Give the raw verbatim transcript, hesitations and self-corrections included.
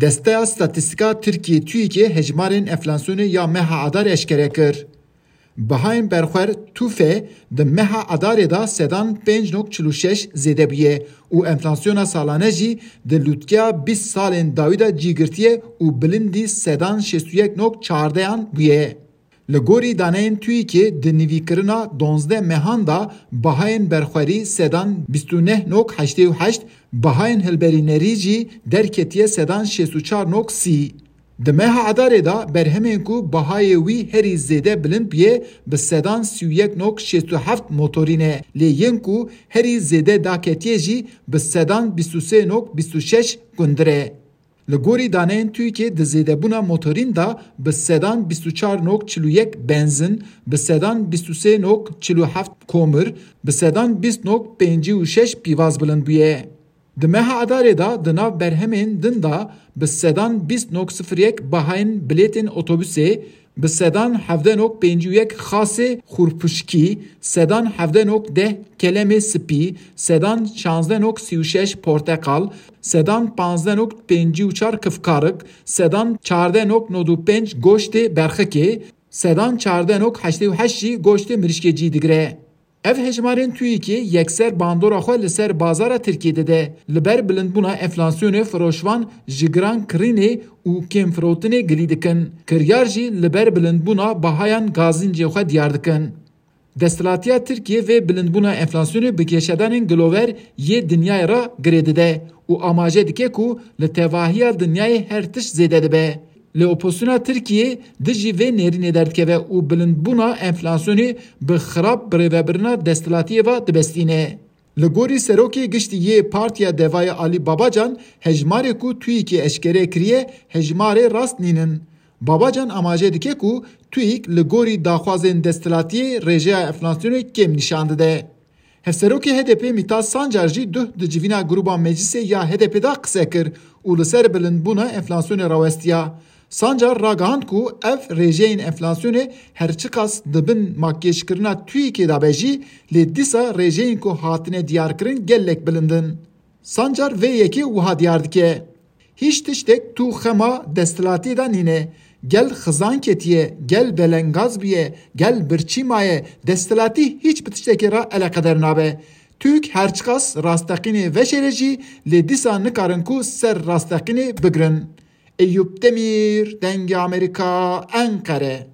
Desteya Statîstîka Tirkiyê TÜİKê hejmarên enflasyonê ya meha Adar eşkere kir. Bihayên berxwer TUFE di meha Adarê de sedan pênc nokta çil û şeş zêde bûye û enflasyona salane jî di lûtkeya bîst salên dawî de cî girtiye û bilindî sedan şêst û yek nokta çardeyan bûye. Li gorî daneyên TÜİKê di nivîkirina duwazdeh mehan de bihayên berxwerî sedan bîst û neh nokta heştê û heşt, bihayên hilberînerî jî derketiye sedan şêst û çar nokta sî. Di meha Adarê de berhemên ku bihayê wî herî zêde bilind bûye bi sedan sî û yek nokta şêst û heft motorî ne, lê yên ku herî zêde daketiye jî bi sedan bîst û sê nokta bîst û şeş gundir e. Li gorî daneyên TÜİKê di zêdebûna motorîn de bi sedan bîst û çar nokta çil û yek benzin, bi sedan bîst û sê nokta çil û heft komir, bi sedan bîst nokta pêncî û şeş pîvaz bilind bûye. Di meha Adarê de di nav berhemên din de bi sedan bîst nokta sifir yek bahayên bilêtên otobusê, bi sedan hevdeh nokta pêncî û yek xasê xurpuşkî, sedan hevdeh nokta deh kelemê spî, sedan şazdeh nokta sî û şeş porteqal, sedan panzdeh nokta pêncî û çar kifkarik, sedan çardeh nokta nod û pênc goştê berxikê, sedan çardeh nokta heştê û heşt jî goştê mirişkê cî digire. Ev hejmarên TÜİKê yekser bandora xwe li ser bazara Tirkiyê dide. Li ber bilindbûna enflasyonê firoşvan ji giran kirînê û kêmfirotinê gilî dikin. Kiryar jî li ber bilindbûna bahayan gazîncê xwe diyar dikin. Desthilatiya Tirkiyê vê bilindbûna enflasyonê bi geşedanên gilover yê dinyayê re girê dide û amaje dike ku li tevahiya dinyayê her tişt zêde dibe. Lê opozisyona Tirkiyê dijî vê nêrînê derdikeve û bilindbûna enflasyonê bi xirab birêvebirina desthilatiyê ve dibestîne. Li gorî Serokê Giştî yê Partiya Devayê Alî Babacan, hejmarê ku TÜİKê eşkere kiriye, hejmarê rast nînin. Babacan amaje dike ku TÜİK li gorî daxwazên desthilatiyê rêjeya enflasyonê kêm nîşan dide. Hevserokê H D P Mîtat Sancar jî duh di civîna grûba meclisê ya H D P de qise kir û li ser bilindbûna enflasyonê rawestiya. Sancar ragihand ku ev rêjeyên enflasyonê her çiqas di bin makyajkirina TÜİKê de be jî, lê dîsa rêjeyên ku hatine diyarkirin gelek bilind in. Sancar vê yekê wiha diyar dike. Hîç tiştek tu xema desthilatiyê de nîne. Gel xizan ketiye, gel belengaz bûye, gel birçî maye, desthilatî hîç bi tiştekê re eleqeder nabe. TÜİK her çiqas rasteqînê veşêre jî, lê dîsa nikarin ku ser rasteqînê bigirin. Eyûp Demîr, Dengê Amerîka, Enqere.